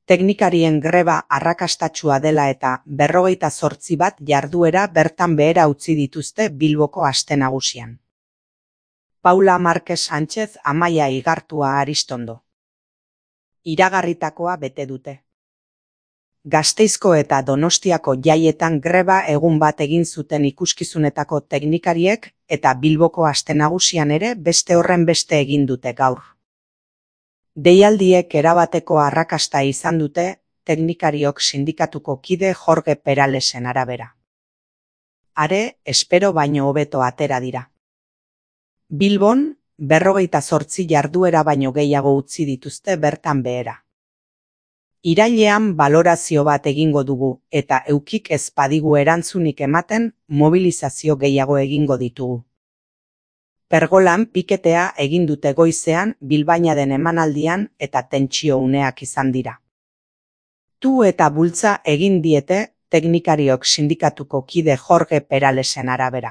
Teknikarien greba arrakastatsua dela eta 58 bat jarduera bertan behera utzi dituzte Bilboko aste nagusian. Paula Márquez Sánchez Amaia Igartua Aristondo. Iragarritakoa bete dute. Gasteizko eta Donostiako jaietan greba egun bat egin zuten ikuskizunetako teknikariek eta Bilboko aste nagusian ere beste horren beste egin dute gaur. Deialdiek erabateko arrakasta izan dute teknikariok sindikatuko kide Jorge Peralesen arabera. Are, espero baino hobeto atera dira. Bilbon, 58 jarduera baino gehiago utzi dituzte bertan behera. Irailean balorazio bat egingo dugu eta eukik ez badigu erantzunik ematen mobilizazio gehiago egingo ditugu. Pergolan piketea egin dute goizean Bilbainaden emanaldian eta tentsio uneak izan dira. Tu eta bultza egin diete teknikariok sindikatuko kide Jorge Peralesen arabera.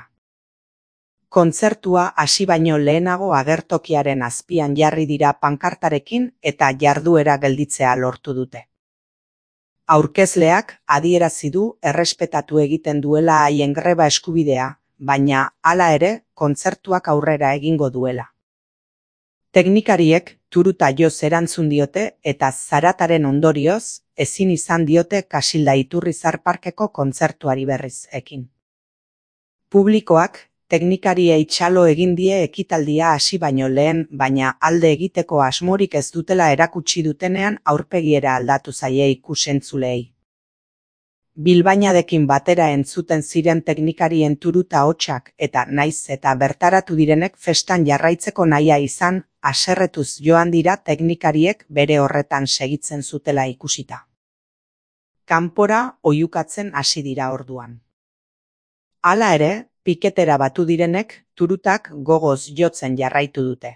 Kontzertua hasi baino lehenago agertokiaren azpian jarri dira pankartarekin eta jarduera gelditzea lortu dute. Aurkezleak adierazi du errespetatu egiten duela haien greba eskubidea, baina hala ere kontzertuak aurrera egingo duela. Teknikariek turuta joz erantzun diote eta zarataren ondorioz ezin izan diote Kasilda Iturrizar Parkeko kontzertuari berriz ekin. Publikoak teknikariei txalo egin die ekitaldia hasi baino lehen, baina alde egiteko asmorik ez dutela erakutsi dutenean aurpegiera aldatu zaie ikusentzuleei. Bilbainadekin batera entzuten ziren teknikarien turuta hotsak eta naiz eta bertaratu direnek festan jarraitzeko nahia izan, haserretuz joan dira teknikariek bere horretan segitzen zutela ikusita. Kanpora oihukatzen hasi dira orduan. Hala ere, piketera batu direnek turutak gogoz jotzen jarraitu dute.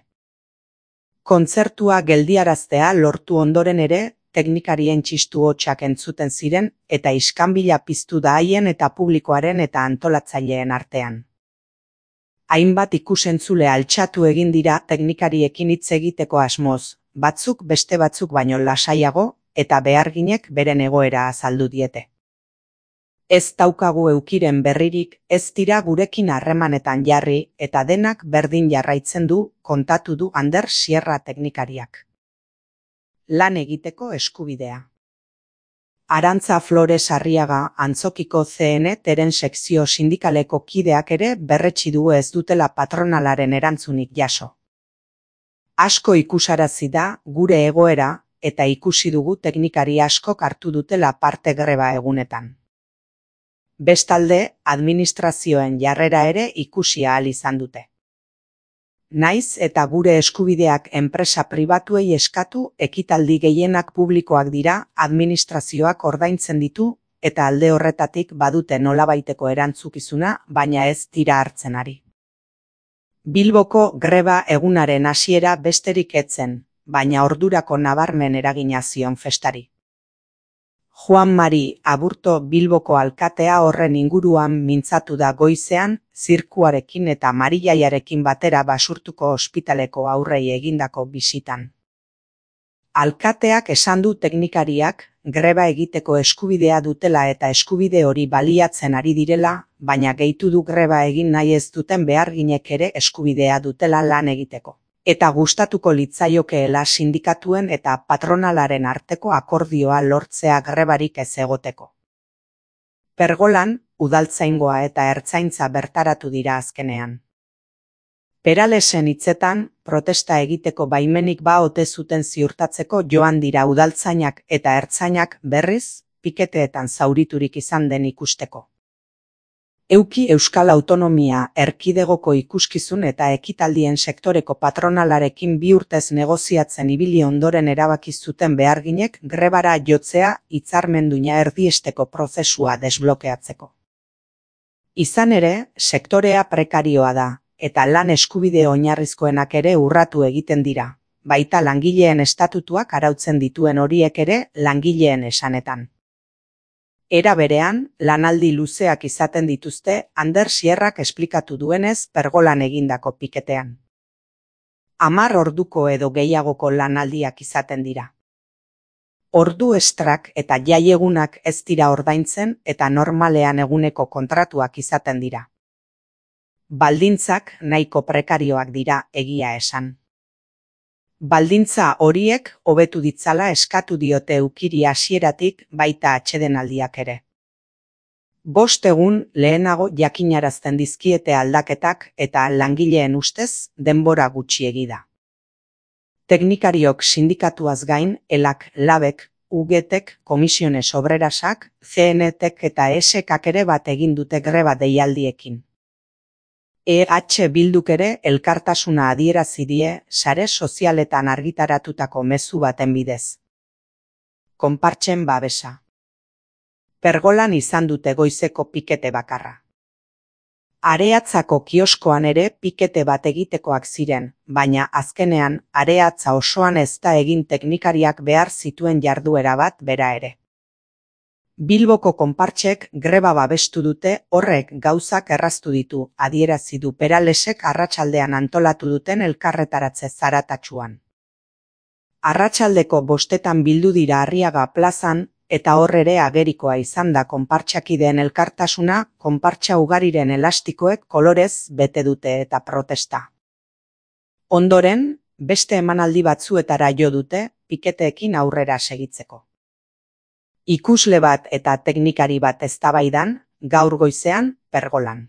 Kontzertua geldiaraztea lortu ondoren ere, teknikarien txistu hotsak entzuten ziren eta iskanbila piztu da haien eta publikoaren eta antolatzaileen artean. Hainbat ikusentzule altxatu egin dira teknikariekin hitz egiteko asmoz, batzuk beste batzuk baino lasaiago eta beharginek beren egoera azaldu diete. Ez daukagu eukiren berririk, ez dira gurekin harremanetan jarri eta denak berdin jarraitzen du, kontatu du Ander Sierra teknikariak. Lan egiteko eskubidea. Arantza Flores Arriaga Antzokiko CNT-ren sekzio sindikaleko kideak ere berretsi du ez dutela patronalaren erantzunik jaso. Asko ikusarazi da gure egoera eta ikusi dugu teknikari askok hartu dutela parte greba egunetan. Bestalde, administrazioen jarrera ere ikusi ahal izan dute. Naiz eta gure eskubideak enpresa pribatuei eskatu, ekitaldi gehienak publikoak dira, administrazioak ordaintzen ditu eta alde horretatik badute nolabaiteko erantzukizuna, baina ez dira hartzen ari. Bilboko greba egunaren hasiera besterik etzen, baina ordurako nabarmen eragina zion festari. Juan Mari Aburto Bilboko alkatea horren inguruan mintzatu da goizean, zirkuarekin eta Marilaiarekin batera Basurtuko ospitaleko aurrei egindako bisitan. Alkateak esan du teknikariak greba egiteko eskubidea dutela eta eskubide hori baliatzen ari direla, baina gehitu du greba egin nahi ez duten beharginek ere eskubidea dutela lan egiteko. Eta gustatuko litzaiokeela sindikatuen eta patronalaren arteko akordioa lortzea grebarik ez egoteko. Pergolan, udaltzaingoa eta ertzaintza bertaratu dira azkenean. Peralesen hitzetan, protesta egiteko baimenik ba ote zuten ziurtatzeko joan dira udaltzainak eta ertzainak berriz, piketeetan zauriturik izan den ikusteko. Euki Euskal Autonomia Erkidegoko ikuskizun eta ekitaldien sektoreko patronalarekin 2 urtez negoziatzen ibili ondoren erabaki zuten beharginek grebara jotzea hitzarmenduna erdiesteko prozesua desblokeatzeko. Izan ere, sektorea prekarioa da, eta lan eskubide oinarrizkoenak ere urratu egiten dira, baita langileen estatutuak arautzen dituen horiek ere langileen esanetan. Era berean, lanaldi luzeak izaten dituzte Ander Sierrak esplikatu duenez pergolan egindako piketean. 10 orduko edo gehiagoko lanaldiak izaten dira. Ordu estrak eta jaiegunak ez dira ordaintzen eta normalean eguneko kontratuak izaten dira. Baldintzak nahiko prekarioak dira, egia esan. Baldintza horiek hobetu ditzala eskatu diote ukiri hasieratik, baita atsedenaldiak ere. 5 egun lehenago jakinarazten dizkiete aldaketak eta langileen ustez denbora gutxiegi da. Teknikariok sindikatuaz gain, ELAK, LABek, UGTek, Komisiones Obrerasak, CNTek eta ESEKak ere bat egin dute greba deialdiekin. EH Bilduk ere elkartasuna adierazi die sare sozialetan argitaratutako mezu baten bidez. Konpartsen babesa. Pergolan izan dute goizeko pikete bakarra. Areatzako kioskoan ere pikete bat egitekoak ziren, baina azkenean areatza osoan ez da egin teknikariak behar zituen jarduera bat bera ere. Bilboko konpartsek greba babestu dute, horrek gauzak erraztu ditu, adierazi du Peralesek arratsaldean antolatu duten elkarretaratze zaratatsuan. Arratsaldeko 5 bildu dira Arriaga plazan, eta hor ere agerikoa izan da konpartsakideen elkartasuna, konpartsa ugariren elastikoek kolorez bete dute eta protesta. Ondoren, beste emanaldi batzuetara jo dute, piketeekin aurrera segitzeko. Ikusle bat eta teknikari bat eztabaidan, gaur goizean, Pergolan.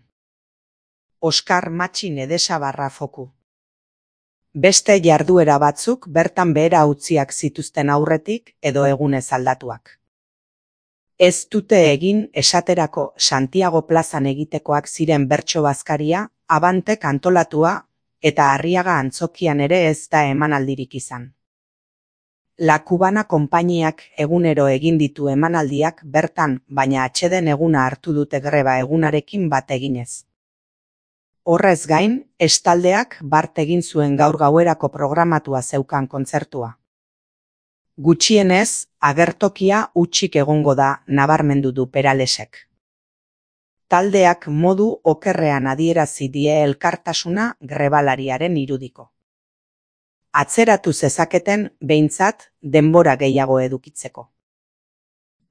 Oskar Matxin Edesabarra foku. Beste jarduera batzuk bertan behera utziak zituzten aurretik edo egunez aldatuak. Ez dute egin esaterako Santiago plazan egitekoak ziren bertso bazkaria, Abantek antolatua eta Arriaga antzokian ere ez da emanaldirik izan. La Cubana konpainiak egunero egin ditu emanaldiak bertan, baina atseden eguna hartu dute greba egunarekin bat eginez. Horrez gain, estaldeak bart egin zuen gaur gauerako programatua zeukan kontzertua. Gutxienez, agertokia hutsik egongo da, nabarmendu du Peralesek. Taldeak modu okerrean adierazi die elkartasuna grebalariaren irudiko. Atzeratu zezaketen behintzat denbora gehiago edukitzeko.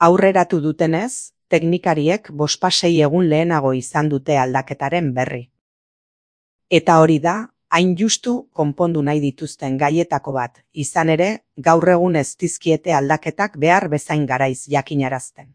Aurreratu dutenez, teknikariek 5 egun lehenago izan dute aldaketaren berri. Eta hori da, hain justu konpondu nahi dituzten gaietako bat, izan ere, gaur egun ez dizkiete aldaketak behar bezain garaiz jakinarazten.